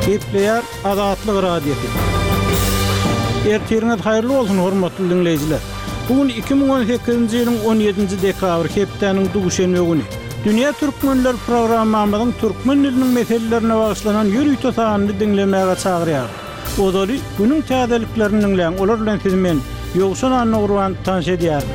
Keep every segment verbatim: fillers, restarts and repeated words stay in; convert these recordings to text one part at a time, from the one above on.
Gepleýär Azatlyk Radiosy. Ertiriňiz haýyrly bolsun, hormatly diňleýjiler. Bu gün iki müň on sekizinji ýylyň on ýedinji dekabry, hepdäniň duşenbe güni. Dünýä Türkmenler programmamyzyň türkmen diliniň meselelerine bagyşlanan ýörite sanyny diňlemäge çagyrýar. Ozaly günüň täzeliklerini diňläň, olar bilen sizi men, Ýowşan Annagurban, tanyş edýärin.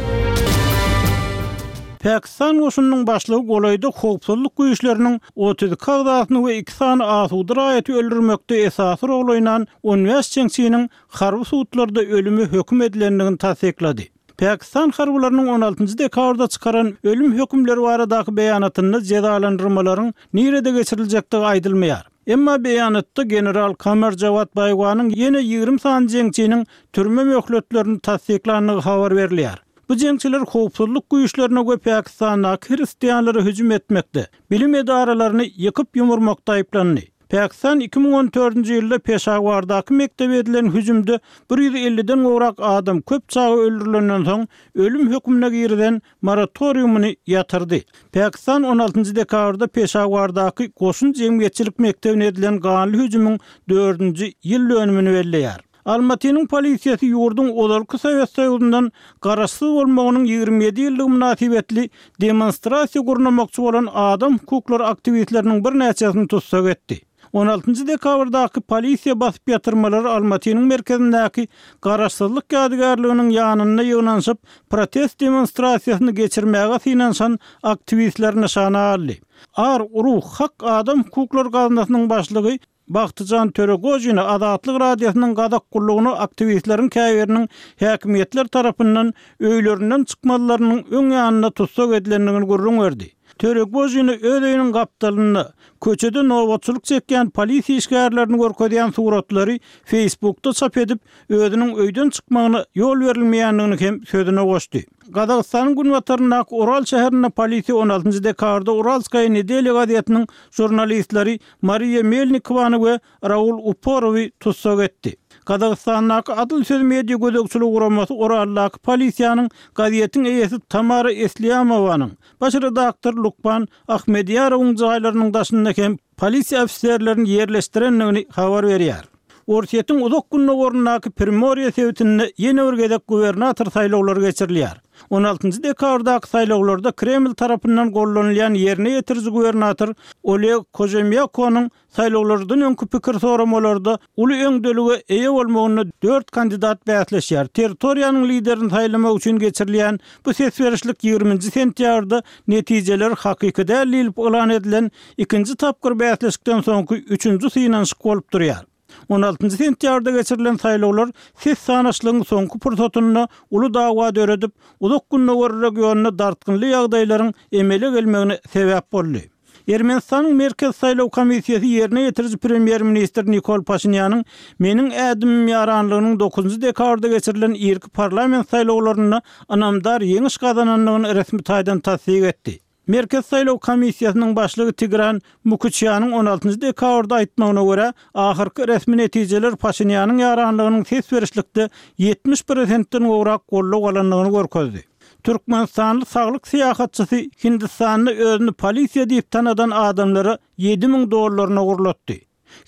Pakistan goşunynyň başlygy golaýda howpsuzlyk güýçleriniň otuz iki agzasyny we iki sany asuda raýaty öldürmekde esasy rol oýnan on bäş jeňçiniň harby sudlarda ölüme höküm edilendigini tassyklady. Pakistan harbylarynyň on altynjy dekabrda çykaran ölüm hökümleri baradaky beýanatynda jezalandyrmalaryň nirede geçiriljekdigi aýdylmaýar. Emma beýanatda general Kamar Jawad Baýwanyň ýene ýigrimi sany jeňçiniň türme möhletlerini tassyklandygy habar berilýär. Bu jeňçiler howpsuzlyk güýçlerine we Pakistandaky hristianlara hüjüm etmekde, bilim edaralaryny ýykyp ýumurmakda aýyplandy. Pakistan iki müň on dördünji ýylda Peşawardaky mekdebe edilen hüjümde bir ýüz elliden gowrak adam köp çaga öldürilenden soň ölüm hökümine girizen moratoriumyny ýatyrdy. Pakistan on altynjy dekabrda Peşawardaky goşun jemgyýetçilik mekdebine edilen ganly hüjümiň dördünji ýyl dönümini belleýär. Almatynyň polisiýasy ýurduň ozalky Sowet Soýuzyndan garaşsyz bolmagynyň ýigrimi ýedi ýyllygy mynasybetli demonstrasiýa gurnamakçy bolan adam hukuklary aktiwistleriniň birnäçesini tussag etdi. On altynjy dekabrdaky polisiýa basyp ýatyrmalary Almatynyň merkezindäki Garaşsyzlyk ýadygärliginiň ýanynda ýygnanyşyp, protest demonstrasiýasyny geçirmäge synanyşan aktiwistler nyşana aldy. Ar Uruh Hak adam hukuklary gaznasynyň başlygy Bagtyjan Töregojina Azatlyk Radiosynyň Gazak gullugyna aktiwistleriň käbiriniň häkimiýetler tarapyndan öýlerinden çykmazlarynyň öň ýanynda tussag edilendigini gürrüň berdi. Töregojina öz öýüniň gapdalynda köçede nobatçylyk çekýän polisiýa işgärlerini görkezýän suratlary Facebookda çap edip, özüniň öýden çykmagyna ýol berilmeýändigini hem sözüne goşdy. Gazagystanyň günbataryndaky Ural şäherinde polisiýa on altynjy dekabrda Uralskaýa nedelýa gazetiniň žurnalistleri Mariýa Melnikowany we Raul Uporowy tussag etdi. Gazagystandaky Adyl söz media gözegçiligi guramasy Uraldaky polisiýanyň gazetiň eýesi Tamara Eslýamowanyň, baş redaktor Lukman Ahmedýarowyň jaýlarynyň daşynda hem polisiýa ofiserlerini ýerleşdirendigini habar berýär. Orsýetiň uzak gündogaryndaky Primorýe sebitinde ýene bir gezek gubernator saýlawlary geçirilýär. On altynjy dekabrdaky saýlawlarda Kreml tarapyndan gollanylýan ýerine ýetiriji gubernator Oleg Kožemýakonyň saýlawlardan öňki pikir soramalarda uly öňdelige eýe bolmagynda dört kandidat bäsleşýär. Territoriýanyň liderini saýlamak üçin geçirilýän bu ses berişlik ýigriminji sentýabrda netijeler hakyky däl diýlip yglan edilen ikinji tapgyr bäsleşikden soňky üçünji synanyşyk bolup durýar. On altynjy sentýabrda geçirilen saýlawlar ses sanaşlygyň soňky pursatynda uly dawa döredip, uzak gündogar regionynda dartgynly ýagdaýlaryň emele gelmegine sebäp boldy. Ermenistanyň Merkez saýlaw komissiýasy ýerine ýetiriji premýer-ministr Nikol Paşinýanyň Meniň ädimim ýaranlygynyň dokuzynjy dekabrda geçirilen irki parlament saýlawlarynda ynamdar ýeňiş gazanandygyny resmi taýdan tassyk etdi. Merkez saýlaw komissiýasynyň başlygy Tigran Mukuçýanyň on altynjy dekabrda aýtmagyna görä, ahyrky resmi netijeler Paşinýanyň ýaranlygynyň ses berişlikde ýetmiş prosentden gowrak goldaw alandygyny görkezdi. Türkmenistanly saglyk syýahatçysy Hindistanda özüni polisiýa diýip tanadan adamlara ýedi müň dollaryny ogurlatdy.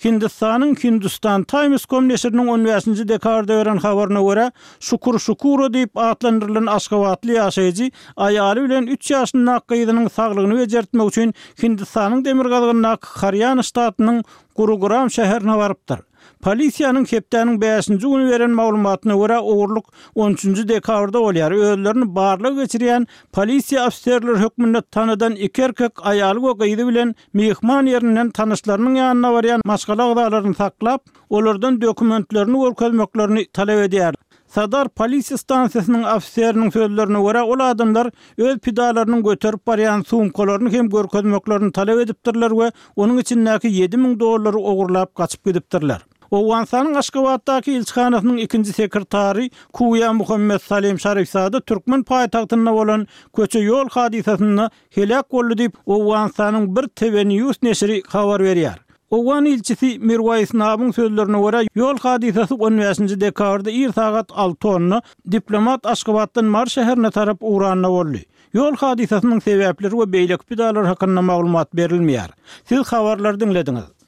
Hindistanyň Hindustan Times com neşiriniň on bäşinji dekabrda beren habaryna görä, Şukur Şukuro diýip atlandyrylan aşgabatly ýaşaýjy aýaly bilen üç ýaşyndaky gyzynyň saglygyny bejertmek üçin Hindistanyň demirgazygyndaky Harýana ştatynyň Gurugram şäherine barypdyr. Polisiýanyň hepdäniň bäşinji güni beren maglumatyna görä, ogurlyk on üçünji dekabrda bolýar. Özlerini barlag geçirýän polisiýa ofiserleri hökmünde tanadan iki erkek aýaly we gyzy bilen myhman ýerinden tanyşlarynyň ýanyna barýan maşgala agzalaryny saklap, olardan dokumentlerini görkezmeklerini talap edýär. Sadar polisiýa stansiýasynyň ofiseriniň sözlerine görä, ol adamlar öz pidalarynyň göterip barýan sumkalaryny hem görkezmeklerini talap edipdirler we onuň içindäki ýedi müň dollary ogurlap gaçyp gidipdirler. Owganystanyň Aşgabatdaky ilçihanasynyň ikinji sekretary Kuýa Muhammet Salim Şarifzada türkmen paýtagtynda bolan köçe-ýol hadysasynda heläk boldy diýip, Owganystanyň bir T V News neşiri habar berýär. Owgan ilçisi Mirwais Nabyň sözlerine görä, ýol hadysasy on bäşinji dekabrda ir sagat alty onda diplomat Aşgabatdan Mary şäherine tarap ugranda boldy. Ýol hadysasynyň sebäpleri we beýleki pidalar hakynda maglumat berilmeýär. Siz habarlary diňlediňiz.